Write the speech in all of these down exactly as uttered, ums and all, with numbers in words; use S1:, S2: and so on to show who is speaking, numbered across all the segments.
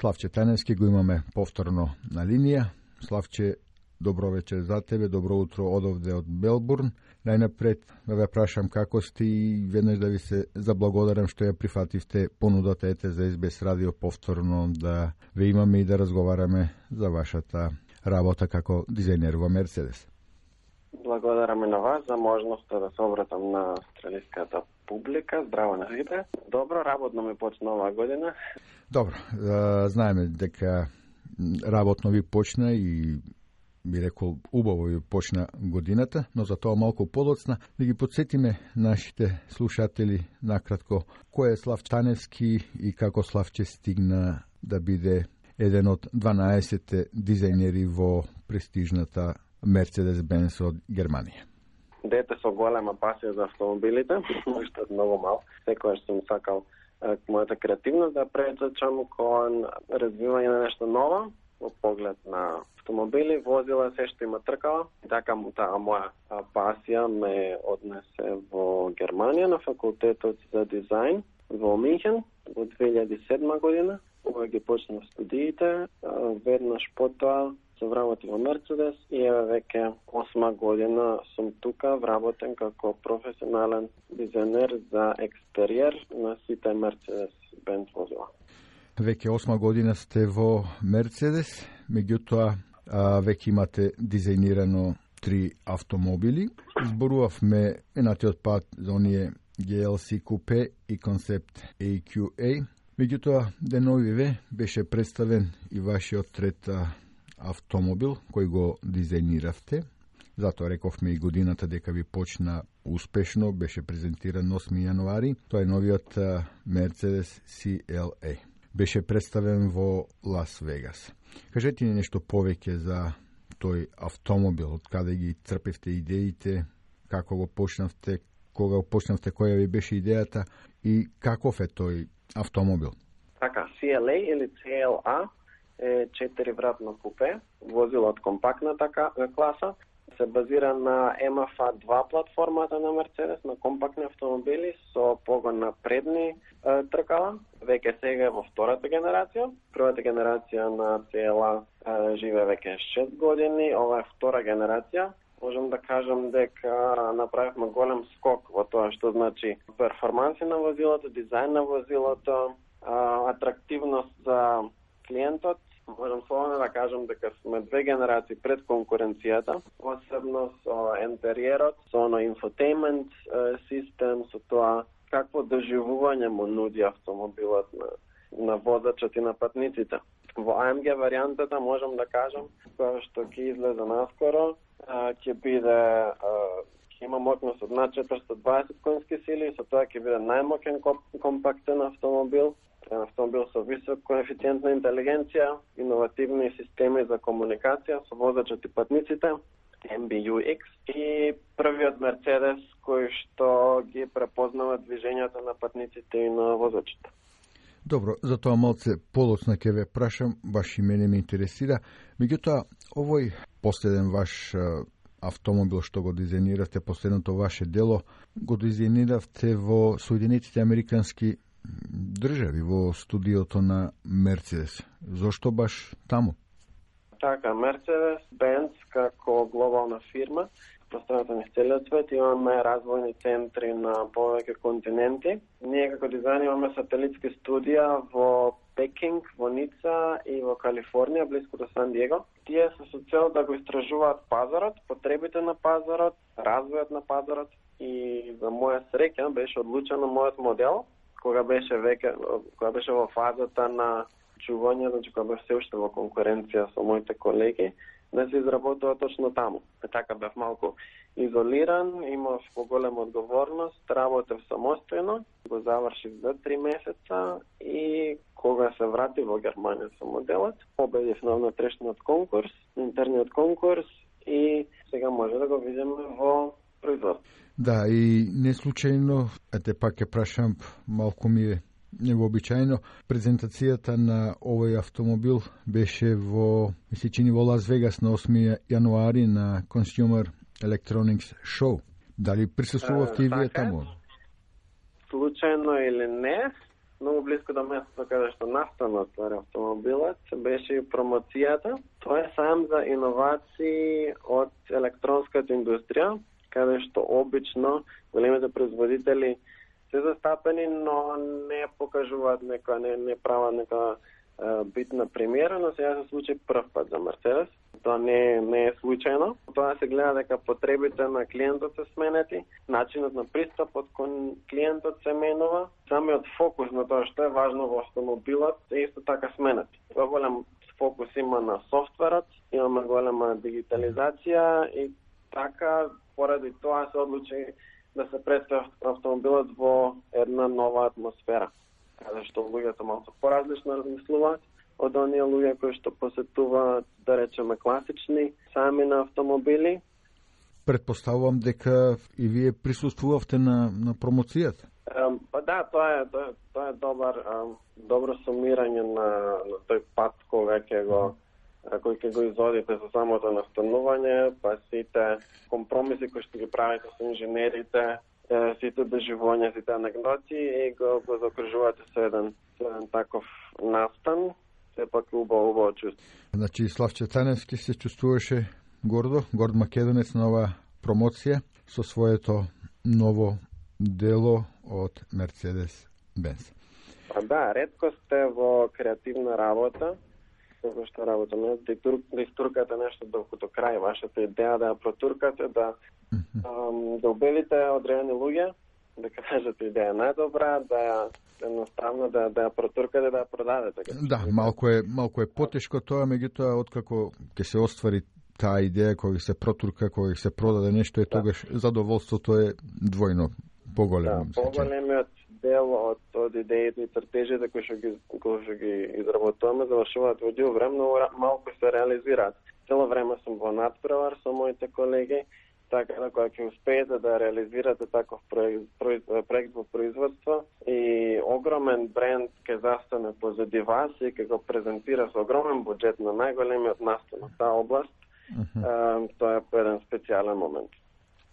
S1: Славче Таневски го имаме повторно на линија. Славче, добро вечер за тебе, добро утро одовде од Мелбурн. Најнапред да ве прашам како сте и веднаш да ви се заблагодарам што ја прифативте понудата ете за Ес Би Ес радио повторно да ве имаме и да разговараме за вашата работа како дизајнер во Мерцедес.
S2: Благодараме на вас за можноста да се обратам на австралиската публика. Здраво на сите. Добро, работно ми почна оваа година.
S1: Добро, знаеме дека работно ви почна и би рекол убаво ви почна годината, но за тоа малку подоцна да ги подсетиме нашите слушатели накратко кој е Слав Таневски и како Славче стигна да биде еден од дванаесет дизајнери во престижната Мерцедес-Бенц од Германија.
S2: Дете со голема пасија за автомобилите, уште од многу мал. Секогаш сум сакал мојата креативност да претечам кон развивање на нешто ново, во поглед на автомобили, возила, се што има тркала. Така таа моја пасија ме однесе во Германија на факултетот за дизајн во Минхен во две илјади и седма година. Кога ги почнав студиите, веднаш потоа се вработив во Мерцедес и еве веќе осма година сум тука вработен како професионален дизајнер за екстериер на сите Мерцедес-Бенц возила.
S1: Веќе осма година сте во Мерцедес, меѓутоа веќе имате дизајнирано три автомобили. Зборувавме енатиот пат за оние Джи Ел Си Купе и концепт Ей Кју Ей. Меѓутоа, деновиве беше представен и вашиот трет автомобил кој го дизајниравте. Затоа рековме и годината дека ви почна успешно, беше презентиран осми јануари. Тоа е новиот Мерцедес Си Ел Ей. Беше представен во Лас Вегас. Кажете ни нешто повеќе за тој автомобил, од каде ги црпевте идеите, како го почнавте, кога го почнавте, која ви беше идејата и каков е тој автомобил?
S2: Така, Си Ел Ей или Си Ел А е четиривратно купе, возило од компактната класа, се базира на Ем Еф А два платформата на Мерцедес, на компактни автомобили со погон на предни е, тркала. Веќе сега е во втората генерација. Првата генерација на Си Ел А е, живе веќе шест години, ова е втора генерација. Можам да кажам дека направивме голем скок во тоа што значи перформанси на возилото, дизајн на возилото, атрактивност за клиентот. Можам слободно да кажам дека сме две генерации пред конкуренцијата, посебно со интериерот, со оно инфотеймент систем, со тоа какво доживување му нуди автомобилот на, на возачот и на патниците. Во А Ем Ге варијантата можам да кажам, која што ќе излезе наскоро, ќе биде ќе има моќност од над четиристотини и дваесет конски сили, со тоа ќе биде најмоќен компактен автомобил, автомобил со висок коефициент на интелигенција, иновативни системи за комуникација со возачот и патниците, Ем Би Ю Икс и првиот Мерцедес кој што ги препознава движењата на патниците и на возачите.
S1: Добро, за тоа малце подоцна ќе ве прашам, баш и мене ме интересира. Меѓутоа, овој последен ваш автомобил што го дизајниравте, последното ваше дело, го дизајниравте во Соединетите Американски држави, во студиото на Мерцедес. Зошто баш таму?
S2: Така, Мерцедес-Бенц како глобална фирма, пространството низ целиот свет, имаме развојни центри на повеќе континенти. Ние како дизајн имаме сателитски студија во Пекинг, во Ница и во Калифорнија, близко до Сан Диего. Тие се со цел да го истражуваат пазарот, потребите на пазарот, развојот на пазарот и за моја среќа беше одлучено мојот модел, кога беше веќе, кога беше во фазата на чување, значи кога бев се уште во конкуренција со моите колеги, да се изработува точно таму. Така бев малку изолиран, имав поголема одговорност, работев самостојно, го завршив за три месеца и кога се вратив во Германија со моделот, победив на внатрешниот конкурс, интерниот конкурс и сега може да го видиме во производство.
S1: Да, и не случајно, ете пак ќе прашам, малку ми е невообичајно, презентацијата на овој автомобил беше во, ми се чини, во Лас Вегас на осми јануари на Consumer Electronics Show. Дали присуствувавте и вие таму?
S2: Случајно или не, многу близко до местото каде што настана ствари автомобилот, беше и промоцијата. Тоа е сам за иновации од електронската индустрија, каде што обично големите производители се застапени, но не покажуваат нека, не, не прават нека е, битна премиера, но сега се случи прв пат за Мерцедес. Тоа не, не е случајно. Тоа се гледа дека потребите на клиентот се сменети, начинот на пристапот кон клиентот се менува, самиот фокус на тоа што е важно во автомобилот е исто така сменет. Голем фокус има на софтверот, имаме голема дигитализација и така поради тоа се одлучи да се представи автомобилот во една нова атмосфера, каде што луѓето малку поразлично размислуваат од оние луѓе кои што посетуваат, да речеме, класични сами на автомобили.
S1: Предпоставувам дека и вие присуствувавте на, на промоцијата.
S2: Um, па да, тоа е, тоа, тоа е добар, um, добро сумирање на, на тој пат кога ќе го кој ќе го изодите со самото настанување, па сите компромиси кои што ги правите со инженерите, сите доживувања, сите анекдоти и го, го закружувате со еден, со еден таков настан, сепак убаво, убаво чувство.
S1: Значи, Славче Таневски се чувствуваше гордо, горд македонец на оваа промоција со своето ново дело од Мерцедес-Бенц.
S2: Па да, ретко сте во креативна работа, како што работаме, да, да истуркате нешто докато крај, вашата идеја да ја протуркате, да, mm-hmm. um, да убедите одредени луѓе, да кажете идеја најдобра, да ја едноставно да, да ја протуркате, да ја продадете.
S1: Да, малку е, малку е потешко тоа, меѓутоа, откако ќе се оствари таа идеја, кога се протурка, кога се продаде нешто, е да. Тогаш задоволството е двојно поголемо.
S2: Да, поголемиот дел од, од идеите и цртежите кои што ги, кои што ги изработуваме завршуваат во дел време, но малку се реализираат. Цело време сум во надпревар со моите колеги, така да кога ќе успеете да реализирате таков проект, проект во производство и огромен бренд ќе застане позади вас и ќе го презентира со огромен буџет на најголемиот настан во таа област, uh-huh. тоа е еден специјален момент.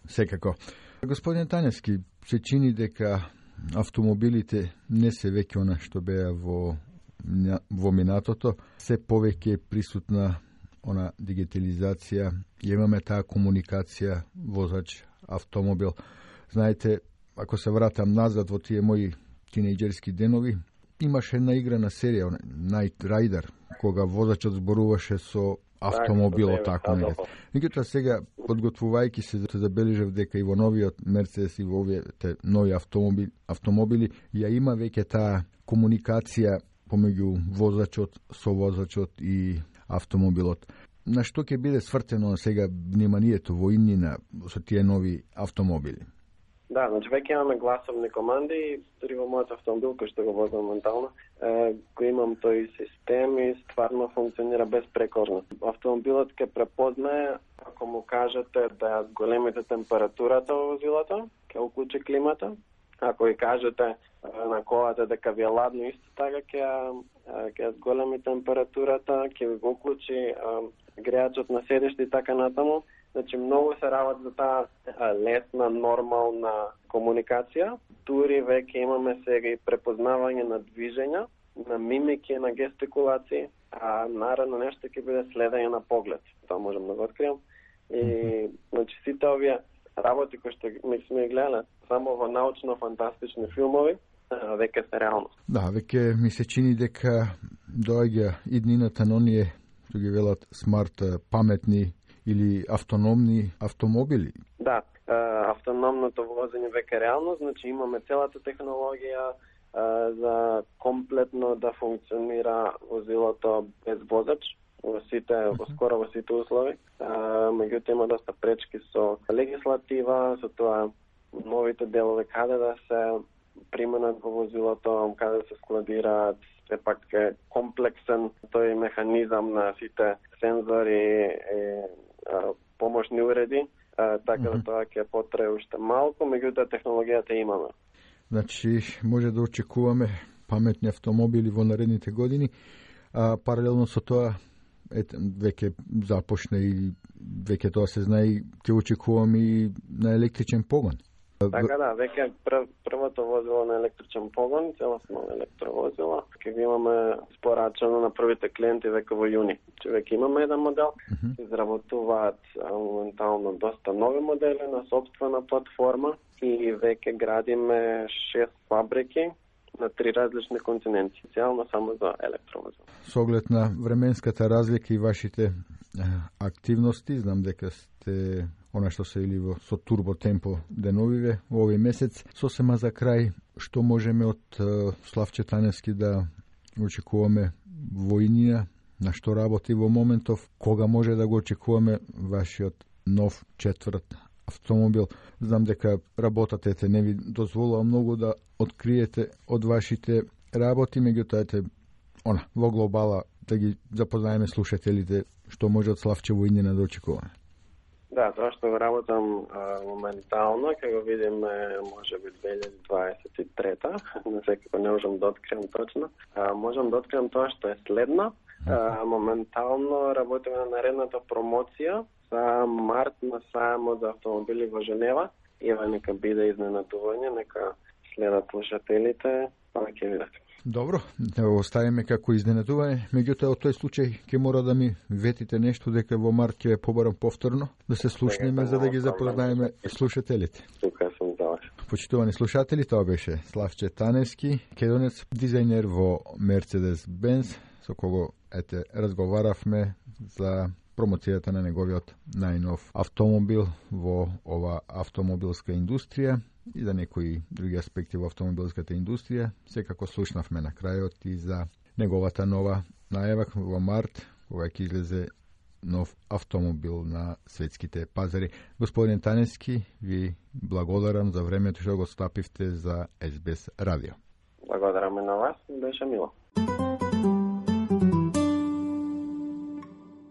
S1: Секако. Господин Таневски, се чини дека автомобилите не се веќе она што беа во, во минатото, се повеќе присутна она дигитализација, имаме таа комуникација возач автомобил. Знаете, ако се вратам назад во тие мои тинејџерски денови, имаше една играна серија, Night Rider, кога возачот зборуваше со автомобилот, така не. Меѓутоа сега, подготвувајќи се, забележав дека и во новиот Мерцедес и во овие нови автомобили, автомобили ја има веќе таа комуникација помеѓу возачот, совозачот и автомобилот. На што ќе биде свртено сега вниманието во иднина со тие нови автомобили?
S2: Да, значи веќе имаме гласовни команди, дури во мојот автомобил кој што го возам моментално, е, го имам тој систем и стварно функционира безпрекорно. Автомобилот ќе препознае ако му кажете да големите температурата во возилото, ќе уклучи климата. Ако ја кажете на колата дека ви е ладно, исто така ќе ќе зголеми температурата, ќе го уклучи греачот на седиште и така натаму. Значи, многу се работи за таа лесна, нормална комуникација. Тури веќе имаме сега и препознавање на движења, на мимики, на гестикулации, а наредно нешто ќе биде следење на поглед. Тоа можам да го откриам. И, значи, сите овие работи кои што ми сме гледале само во научно-фантастични филмови, веќе се реалност.
S1: Да, веќе ми се чини дека доаѓа иднината на оние, што ги велат смарт, паметни или автономни автомобили.
S2: Да, автономното возење веќе реалност, значи имаме целата технологија за комплетно да функционира возилото без возач во сите, во скоро во сите услови. Меѓутоа има доста пречки со легислатива, со тоа новите делови каде да се применат во возилото, каде да се складираат, сепак е комплексен тој механизам на сите сензори и помошни уреди, така да тоа ќе потрае уште малку, меѓутоа технологијата имаме.
S1: Значи, може да очекуваме паметни автомобили во наредните години, а паралелно со тоа ете, веќе започне и веќе тоа се знае, ќе очекуваме и на електричен погон.
S2: Така да, веќе пр првото возило на електричен погон, целосно електровозило, ќе ги имаме спорачено на првите клиенти веќе во јуни. Че веќе имаме еден модел, uh -huh. изработуваат моментално доста нови модели на собствена платформа и веќе градиме шест фабрики на три различни континенти, цялно само за електровозила.
S1: Со оглед на временската разлика и вашите е, активности, знам дека сте она што се или во со турботемпо деновиве во овој месец. Сосема за крај, што можеме од е, Славче Таневски да очекуваме во иднина, на што работи во моментов, кога може да го очекуваме вашиот нов четврт автомобил? Знам дека работата те не ви дозволува многу да откриете од вашите работи, меѓутоа ете она во глобала да ги запознаеме слушателите што може од Славче во иднина да очекуваме.
S2: Да, тоа што го работам а, моментално, ќе го видиме можеби две илјади дваесет и трета, не секако не можам да откриам точно. А, можам да откриам тоа што е следно. А, моментално работиме на наредната промоција за март на сајмот за автомобили во Женева. Ева, нека биде изненадување, нека следат слушателите, па ќе видат.
S1: Добро, да го оставиме како изненадување, меѓутоа од тој случај ќе мора да ми ветите нешто дека во март ќе побарам повторно да се слушнеме за да ги запознаеме слушателите.
S2: Тука сум за вас.
S1: Почитувани слушатели, тоа беше Славче Таневски, кедонец, дизајнер во Mercedes-Benz, со кого ете разговаравме за промоцијата на неговиот најнов автомобил во ова автомобилска индустрија и за некои други аспекти во автомобилската индустрија. Секако слушнавме на крајот и за неговата нова најава во март, кога ќе излезе нов автомобил на светските пазари. Господин Таневски, ви благодарам за времето што го стапивте за Ес Би Ес радио.
S2: Благодарам и на вас, беше мило.